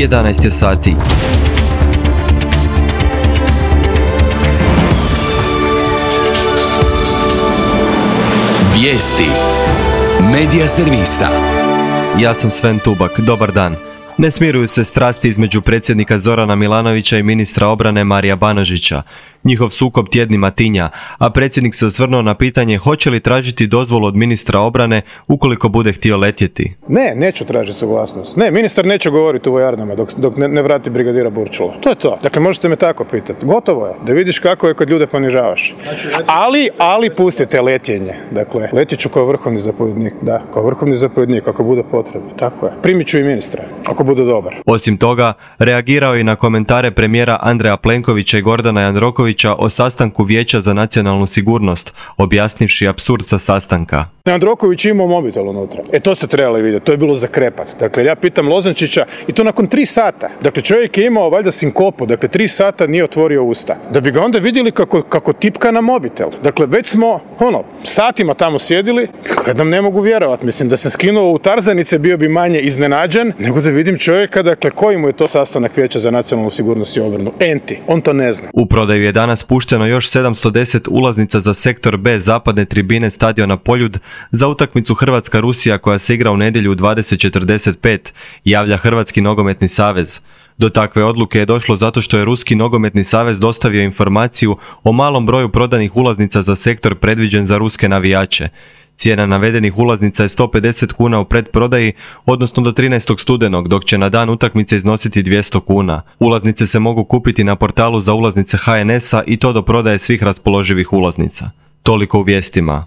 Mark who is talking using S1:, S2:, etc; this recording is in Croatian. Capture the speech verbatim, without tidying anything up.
S1: jedanaest je sati.
S2: Vijesti Medija servisa.
S1: Ja sam Sven Tubak, dobar dan. Ne smiruju se strasti između predsjednika Zorana Milanovića i ministra obrane Marija Banožića. Njihov sukob tjednima tinja, a predsjednik se osvrnuo na pitanje hoće li tražiti dozvolu od ministra obrane ukoliko bude htio letjeti.
S3: Ne, neću tražiti suglasnost. Ne, ministar neće govoriti u vojarnama dok, dok ne, ne vrati brigadira Burčula. To je to. Dakle, možete me tako pitati. Gotovo je. Da vidiš kako je kad ljude ponižavaš. Ali, ali pustite letjenje. Dakle, letit ću kao vrhovni zapovjednik. Da, kao vrhovni zapovjednik, ako bude potrebno. Tako je. Primit ću i ministra, ako bude dobar.
S1: Osim toga, reagirao je i na komentare premijera Andreja Plenkovića i Gordana Jandrokovića o sastanku Vijeća za nacionalnu sigurnost, objasnivši apsurd sa sastanka.
S3: Jandroković imao mobitel unutra. E to ste trebali vidjeti, to je bilo za krepat. Dakle, ja pitam Lozančića i to nakon tri sata. Dakle, čovjek je imao valjda sinkopu, dakle, tri sata nije otvorio usta. Da bi ga onda vidjeli kako, kako tipka na mobitel. Dakle, već smo, ono, satima tamo sjedili, kad nam ne mogu vjerovati. Mislim, da se skinuo u tarzanice bio bi manje iznenađen, nego da vidim čovjeka, dakle, koji mu je to sastanak Vijeća za nacionalnu sigurnost i obranu. Enti, on to ne zna.
S1: U prodaju je danas pušteno još sedamsto deset ulaznica za sektor B zapadne tribine stadiona Poljud za utakmicu Hrvatska-Rusija koja se igra u nedjelju u dvadeset četrdeset pet, javlja Hrvatski nogometni savez. Do takve odluke je došlo zato što je Ruski nogometni savez dostavio informaciju o malom broju prodanih ulaznica za sektor predviđen za ruske navijače. Cijena navedenih ulaznica je sto pedeset kuna u predprodaji, odnosno do trinaestog studenog, dok će na dan utakmice iznositi dvjesto kuna. Ulaznice se mogu kupiti na portalu za ulaznice H N S-a i to do prodaje svih raspoloživih ulaznica. Toliko u vijestima.